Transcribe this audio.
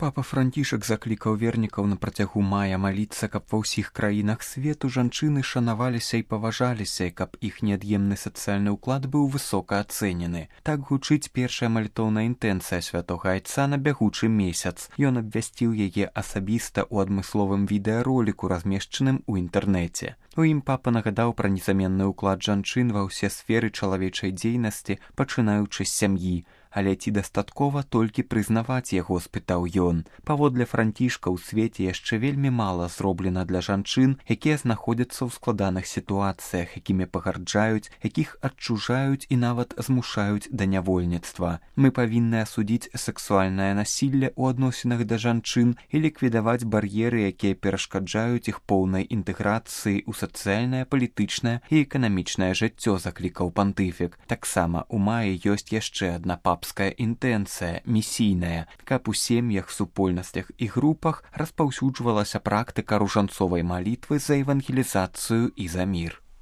Папа Францішак заклікаў вернікаў на працягу мая маліцца, каб ва ўсіх краінах свету жанчыны шанаваліся і паважаліся, і каб іх неад'емны сацыяльны ўклад быў высока ацэнены. Так гучыць першая малітоўная інтэнцыя святога айца на бягучы месяц. Ён абвясціў яе асабіста ў адмысловым відэароліку, размешчаным у інтэрнэце. У ім папа нагадаў пра незаменны ўклад жанчын ва ўсе сферы чалавечай дзейнасці, пачынаючы з сям'і. Але ці дастаткова толькі прызнаваць яго, спытаў ён. Паводле Францішка ў свеце яшчэ вельмі мала зроблена для жанчын, якія знаходзяцца ў складаных сітуацыях, якімі пагарджаюць, якіх адчужаюць і нават змушаюць да нявольніцтва. Мы павінны асудзіць сексуальнае насілле ў адносінах да жанчын і ліквідаваць бар'еры, якія перашкаджаюць іх поўнай інтэграцыі ў сацыяльнае, палітычнае і эканамічнае жыццё, заклікаў пантыфік. Таксама ў маі ёсць яшчэ адна папская інтэнцыя, місійная, каб у сем'ях, супольнасцях і групах распаўсюджвалася практыка ружанцовай малітвы за евангелізацыю і за мір.